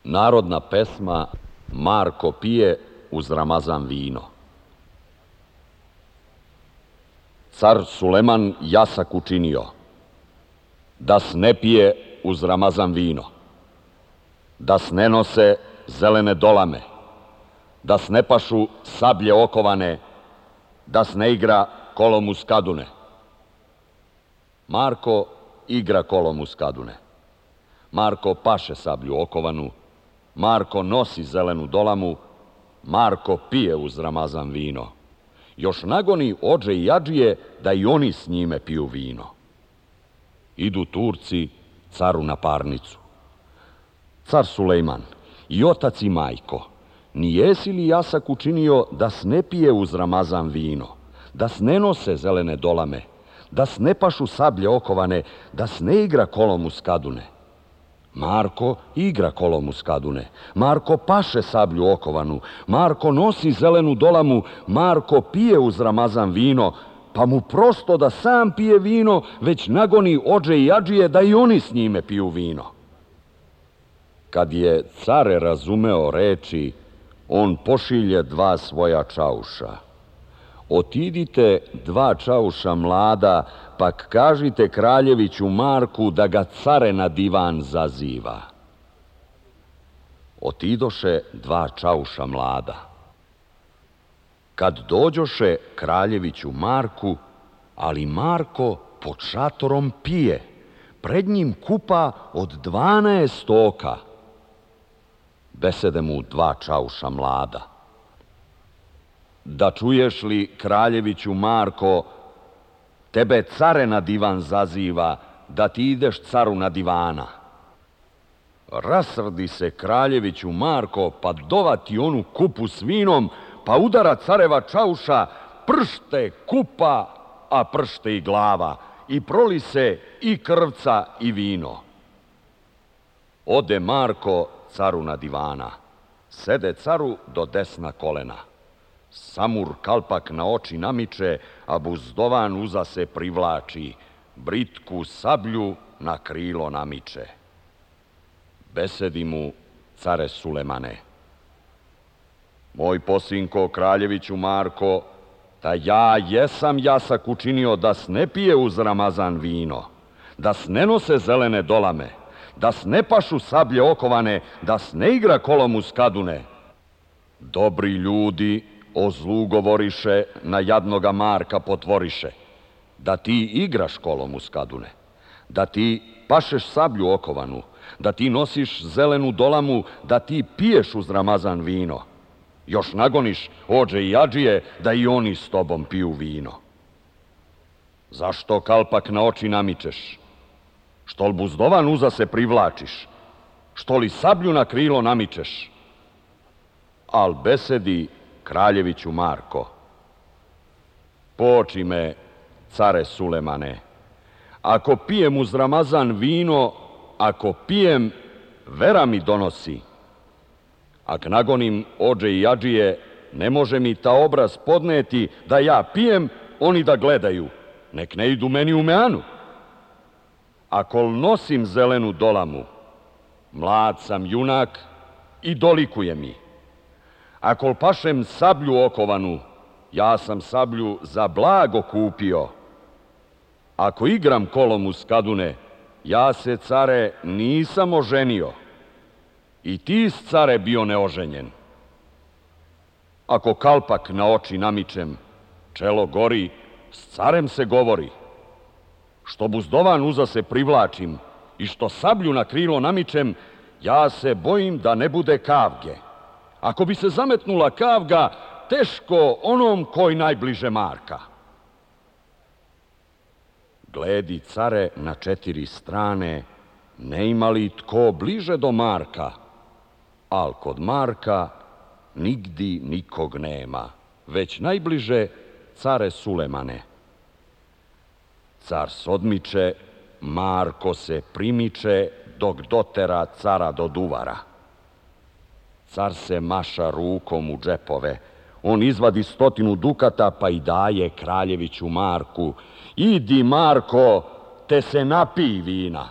Narodna pesma Marko pije uz Ramazan vino. Car Suleman jasak učinio, da s ne pije uz Ramazan vino, da s ne nose zelene dolame, da s ne pašu sablje okovane, da s ne igra kolom uz kadune. Marko igra kolom uz kadune. Marko paše sablju okovanu, Marko nosi zelenu dolamu, Marko pije uz Ramazan vino. Još nagoni odže i adžije da i oni s njime piju vino. Idu Turci caru na parnicu. Car Sulejman, i otac i majko, ni jesi li jasak učinio da s ne pije uz Ramazan vino, da s ne nose zelene dolame, da s ne pašu sablje okovane, da s ne igra kolom uz kadune? Marko igra kolom uz kadune, Marko paše sablju okovanu, Marko nosi zelenu dolamu, Marko pije uz Ramazan vino, pa mu prosto da sam pije vino, već nagoni odže i adžije da i oni s njime piju vino. Kad je care razumeo reči, on pošilje dva svoja čauša. Otidite dva čauša mlada, pak kažite kraljeviću Marku da ga care na divan zaziva. Otidoše dva čauša mlada. Kad dođoše kraljeviću Marku, ali Marko pod šatorom pije, pred njim kupa od 12 oka. Besede mu dva čauša mlada. Da čuješ li, kraljeviću Marko, tebe care na divan zaziva, da ti ideš caru na divana. Rasrdi se kraljeviću Marko, pa dovati onu kupu s vinom, pa udara careva čauša, pršte kupa, a pršte i glava, i proli se i krvca i vino. Ode Marko caru na divana, sede caru do desna kolena. Samur kalpak na oči namiče, a buzdovan uza se privlači, britku sablju na krilo namiče. Besedi mu care Sulemane. Moj posinko, kraljeviću Marko, da ja jesam jasak učinio da s ne pije uz Ramazan vino, da s ne nose zelene dolame, da s ne pašu sablje okovane, da s ne igra kolom uz kadune. Dobri ljudi o zlu govoriše, na jadnoga Marka potvoriše, da ti igraš kolom uz kadune, da ti pašeš sablju okovanu, da ti nosiš zelenu dolamu, da ti piješ uz Ramazan vino. Još nagoniš odže i adžije da i oni s tobom piju vino. Zašto kalpak na oči namičeš? Što li buzdovan uza se privlačiš? Što li sablju na krilo namičeš? Al besedi kraljeviću Marko. Poči me, care Sulemane, ako pijem uz Ramazan vino, ako pijem, vera mi donosi. Ak nagonim odže i adžije, ne može mi ta obraz podneti da ja pijem, oni da gledaju, nek ne idu meni u meanu. Ako nosim zelenu dolamu, mlad sam junak i dolikuje mi. Ako pašem sablju okovanu, ja sam sablju za blago kupio. Ako igram kolom uz kadune, ja se, care, nisam oženio. I ti, care, bio neoženjen. Ako kalpak na oči namičem, čelo gori, s carem se govori. Što buzdovan uza se privlačim i što sablju na krilo namičem, ja se bojim da ne bude kavge. Ako bi se zametnula kavga, teško onom koji najbliže Marka. Gledi, care, na 4 strane, ne ima li tko bliže do Marka, al kod Marka nigdi nikog nema, već najbliže care Sulemane. Car sodmiče, Marko se primiče, dok dotera cara do duvara. Car se maša rukom u džepove, on izvadi 100 dukata pa i daje kraljeviću Marku. Idi, Marko, te se napij vina.